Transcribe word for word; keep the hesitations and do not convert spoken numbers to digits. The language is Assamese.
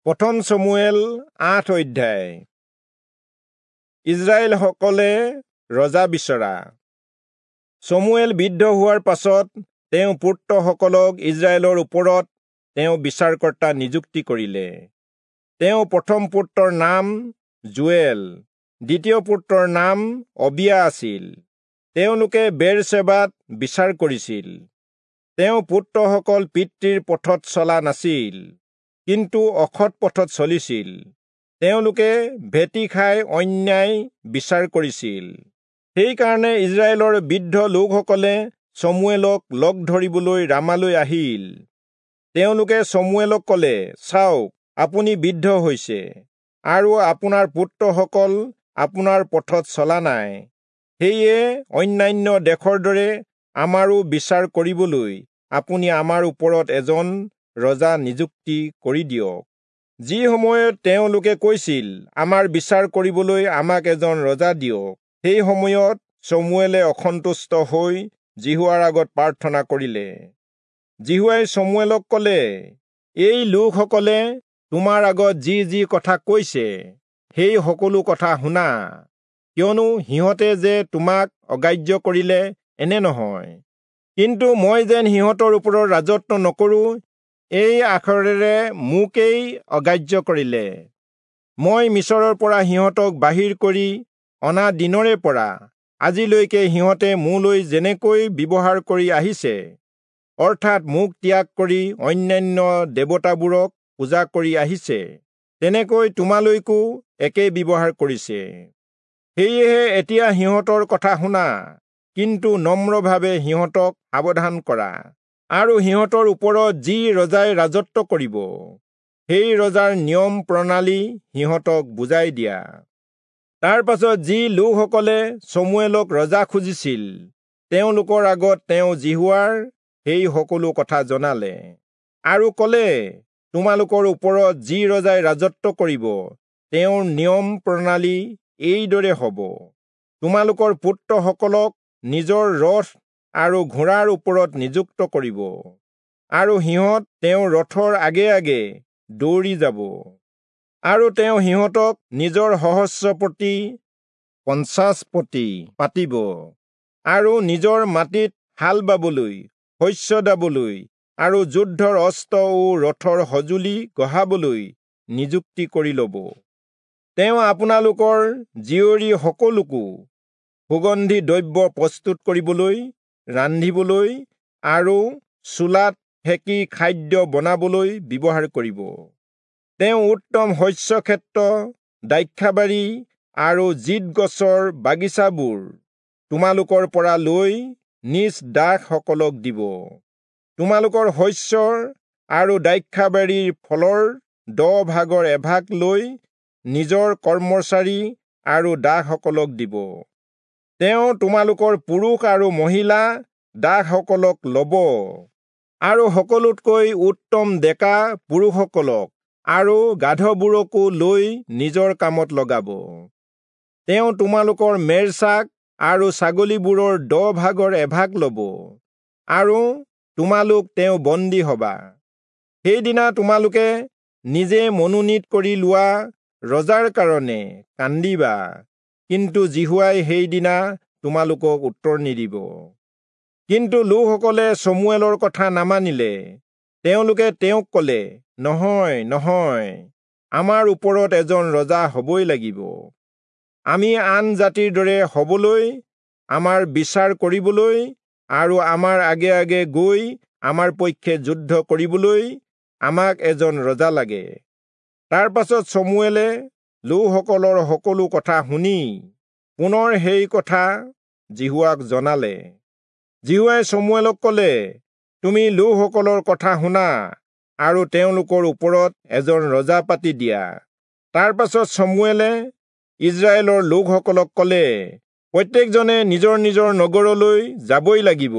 প্ৰথম চমূৱেল আঠ অধ্যায়। ইস্ৰায়েলসকলে ৰজা বিচৰা। চমূৱেল বৃদ্ধ হোৱাৰ পাছত তেওঁ পুত্ৰসকলক ইস্ৰায়েলৰ ওপৰত তেওঁ বিচাৰকৰ্তা নিযুক্তি কৰিলে। তেওঁ প্ৰথম পুত্ৰৰ নাম যোৱেল, দ্বিতীয় পুত্ৰৰ নাম অবিয়া আছিল। তেওঁলোকে বেৰচেবাত বিচাৰ কৰিছিল। তেওঁ পুত্ৰসকল পিতৃৰ পথত চলা নাছিল, কিন্তু অসৎ পথত চলিছিল। তেওঁলোকে ভেটি খাই অন্যায় বিচাৰ কৰিছিল। সেইকাৰণে ইস্ৰায়েলৰ বৃদ্ধ লোকসকলে চমূৱেলক লগ ধৰিবলৈ ৰামালৈ আহিল। তেওঁলোকে চমূৱেলক কলে, চাওক, আপুনি বৃদ্ধ হৈছে আৰু আপোনাৰ পুত্ৰসকল আপোনাৰ পথত চলা নাই। সেয়ে অন্যান্য দেশৰ দৰে আমাৰো বিচাৰ কৰিবলৈ আপুনি আমাৰ ওপৰত এজন ৰজা নিযুক্তি কৰি দিয়ক। যি সময়ত তেওঁলোকে কৈছিল, আমাৰ বিচাৰ কৰিবলৈ আমাক এজন ৰজা দিয়ক, সেই সময়ত চমূৱেলে অসন্তুষ্ট হৈ যিহোৱাৰ আগত প্ৰাৰ্থনা কৰিলে। যিহোৱাই চমূৱেলক কলে, এই লোকসকলে তোমাৰ আগত যি যি কথা কৈছে সেই সকলো কথা শুনা, কিয়নো সিহঁতে যে তোমাক অগ্ৰাহ্য কৰিলে এনে নহয়, কিন্তু মই যেন সিহঁতৰ ওপৰত ৰাজত্ব নকৰো এই আখৰেৰে মোকেই অগ্ৰাহ্য কৰিলে। মই মিচৰৰ পৰা সিহঁতক বাহিৰ কৰি অনা দিনৰে পৰা আজিলৈকে সিহঁতে মোলৈ যেনেকৈ ব্যৱহাৰ কৰি আহিছে, অৰ্থাৎ মোক ত্যাগ কৰি অন্যান্য দেৱতাবোৰক পূজা কৰি আহিছে, তেনেকৈ তোমালৈকো একেই ব্যৱহাৰ কৰিছে। সেয়েহে এতিয়া সিহঁতৰ কথা শুনা, কিন্তু নম্ৰভাৱে সিহঁতক সাৱধান কৰা, আৰু সিহঁতৰ ওপৰত যি ৰজাই ৰাজত্ব কৰিব সেই ৰজাৰ নিয়ম প্ৰণালী সিহঁতক বুজাই দিয়া। তাৰ পাছত যি লোকসকলে চমূৱেলক ৰজা খুজিছিল, তেওঁলোকৰ আগত তেওঁ যিহোৱাৰ সেই সকলো কথা জনালে আৰু কলে, তোমালোকৰ ওপৰত যি ৰজাই ৰাজত্ব কৰিব তেওঁৰ নিয়ম প্ৰণালী এইদৰে হব। তোমালোকৰ পুত্ৰসকলক নিজৰ ৰথ আৰু ঘোঁৰাৰ ওপৰত নিযুক্ত কৰিব, আৰু সিহঁত তেওঁৰ ৰথৰ আগে আগে দৌৰি যাব, আৰু তেওঁ সিহঁতক নিজৰ সহস্ৰপতি পঞ্চাছপতি পাতিব, আৰু নিজৰ মাটিত হাল বাবলৈ, শস্য দাবলৈ, আৰু যুদ্ধৰ অস্ত্ৰ ও ৰথৰ সঁজুলি গঢ়াবলৈ নিযুক্তি কৰি লব। তেওঁ আপোনালোকৰ জীয়ৰী সকলোকো সুগন্ধি দ্ৰব্য প্ৰস্তুত কৰিবলৈ, ৰান্ধিবলৈ আৰু চুলাত সেকি খাদ্য বনাবলৈ ব্যৱহাৰ কৰিব। তেওঁ উত্তম শস্যক্ষেত্ৰ, দ্ৰাক্ষাবাৰী আৰু জিত গছৰ বাগিচাবোৰ তোমালোকৰ পৰা লৈ নিজ দাসসকলক দিব। তোমালোকৰ শস্যৰ আৰু দ্ৰাক্ষাবাৰীৰ ফলৰ দহ ভাগৰ এভাগ লৈ নিজৰ কৰ্মচাৰী আৰু দাসসকলক দিব। তেওঁ তোমালোকৰ পুৰুষ আৰু মহিলা দাসসকলক লব, আৰু সকলোতকৈ উত্তম ডেকা পুৰুষসকলক আৰু গাধবোৰকো লৈ নিজৰ কামত লগাব। তেওঁ তোমালোকৰ মেৰছাক আৰু ছাগলীবোৰৰ দহ ভাগৰ এভাগ লব, আৰু তোমালোক তেওঁ বন্দী হবা। সেইদিনা তোমালোকে নিজে মনোনীত কৰি লোৱা ৰজাৰ কাৰণে কান্দিবা, কিন্তু যিহোৱাই সেইদিনা তোমালোকক উত্তৰ নিদিব। কিন্তু লোকসকলে চমূৱেলৰ কথা নামানিলে। তেওঁলোকে তেওঁক কলে, নহয় নহয়, আমাৰ ওপৰত এজন ৰজা হবই লাগিব। আমি আন জাতিৰ দৰে হবলৈ, আমাৰ বিচাৰ কৰিবলৈ আৰু আমাৰ আগে আগে গৈ আমাৰ পক্ষে যুদ্ধ কৰিবলৈ আমাক এজন ৰজা লাগে। তাৰ পাছত চমূৱেলে লোকসকলৰ সকলো কথা শুনি পুনৰ সেই কথা যিহোৱাক জনালে। যিহোৱাই চমূৱেলক কলে, তুমি লোকসকলৰ কথা শুনা আৰু তেওঁলোকৰ ওপৰত এজন ৰজা পাতি দিয়া। তাৰ পাছত চমূৱেলে ইস্ৰায়েলৰ লোকসকলক কলে, প্ৰত্যেকজনে নিজৰ নিজৰ নগৰলৈ যাবই লাগিব।